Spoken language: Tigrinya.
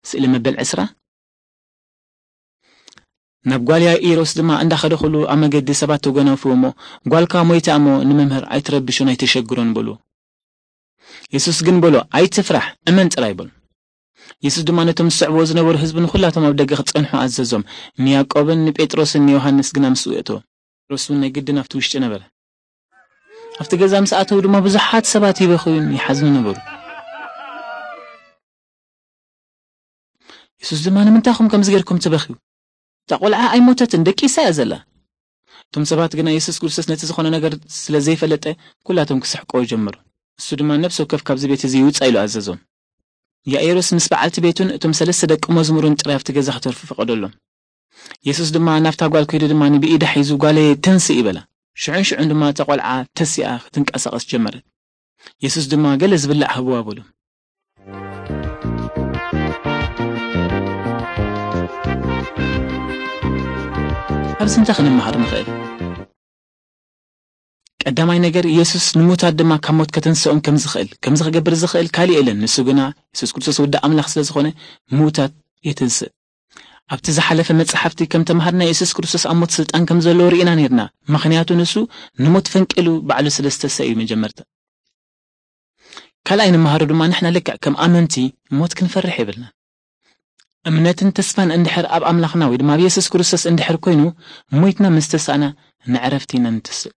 ስእሊ መበል ዕስራ። ናብ ጓል ያኢሮስ ድማ እንዳኸደ ኩሉ ኣብ መገዲ ሰባት ተጎናፍዎ እሞ፣ "ጓልካ ሞይታ እሞ ንመምህር ኣይትረብሾን ኣይተሸግሮን" በሉ። የሱስ ግን በሎ፣ "ኣይትፍራሕ፣ እመን ጥራይ" በሉ። የሱስ ድማ ነቶም ዝስዕብዎ ዝነበሩ ህዝቢ ንኹላቶም ኣብ ደገ ክጸንሑ ኣዘዞም። ንያዕቆብን ንጴጥሮስን ንዮሃንስ ግና ምስኡ የእተዎም። ጴጥሮስ እውን ናይ ግድን ኣብቲ ውሽጢ ነበረ። ኣብቲ ገዛ ምስ ኣተዉ ድማ ብዙሓት ሰባት ይበኽዩን ይሓዝኑ ነበሩ። የሱስ ድማ፣ "ንምንታይ ኢኹም ከምዚ ጌርኩም ትበኽዩ? እታ ቈልዓ ኣይሞተትን፣ ደቂሳ እያ ዘላ።" እቶም ሰባት ግና የሱስ ክርስቶስ ነቲ ዝኾነ ነገር ስለ ዘይፈለጠ፣ ኩላቶም ክስሕቅዎ ጀመሩ። እሱ ድማ፣ "ነፍሲ ወከፍ ካብዚ ቤት እዚ ይውጻእ" ኢሉ ኣዘዞም። ያኢሮስ ምስ በዓልቲ ቤቱን እቶም ሰለስተ ደቂ መዝሙሩን ጥራይ ኣብቲ ገዛ ክተርፉ ፈቐደሎም። የሱስ ድማ ናብታ ጓል ከይዱ ድማ ብኢዳ ሒዙ፣ "ጓለየ፣ ተንስእ" ይበላ። ሽዑን ሽዑን ድማ እታ ቈልዓ ተሲኣ ክትንቀሳቐስ ጀመረት። የሱስ ድማ፣ "ገለ ዝብላዕ ህብዋ" በሉ። ኣብዚ እንታይ ክንመሃር ንኽእል? ቀዳማይ ነገር፣ የሱስ ንሙታት ድማ ካብ ሞት ከተንስኦም ከም ዝኽእል፣ ከምዚ ክገብር ዝኽእል ካልእ የለን። ንሱ ግና፣ የሱስ ክርስቶስ ወዲ ኣምላኽ ስለ ዝኾነ፣ ምዉታት የተንስእ። ኣብቲ ዝሓለፈ መጽሓፍቲ ከም ተማሃርና፣ የሱስ ክርስቶስ ኣብ ሞት ስልጣን ከም ዘለዎ ርኢና ነይርና። ምኽንያቱ ንሱ ንሞት ፈንቂሉ ባዕሉ ስለ ዝተሰ እዩ መጀመርታ። ካልኣይ ንመሃሮ ድማ፣ ንሕና ልክዕ ከም ኣመንቲ ሞት ክንፈርሕ የብልናን። እምነትን ተስፋን እንድሕር ኣብ ኣምላኽና ወይ ድማ ኣብ የሱስ ክርስቶስ እንድሕር ኮይኑ፣ ሞይትና ምስ ተሳእና ንዕረፍቲ ኢና ንተስእ።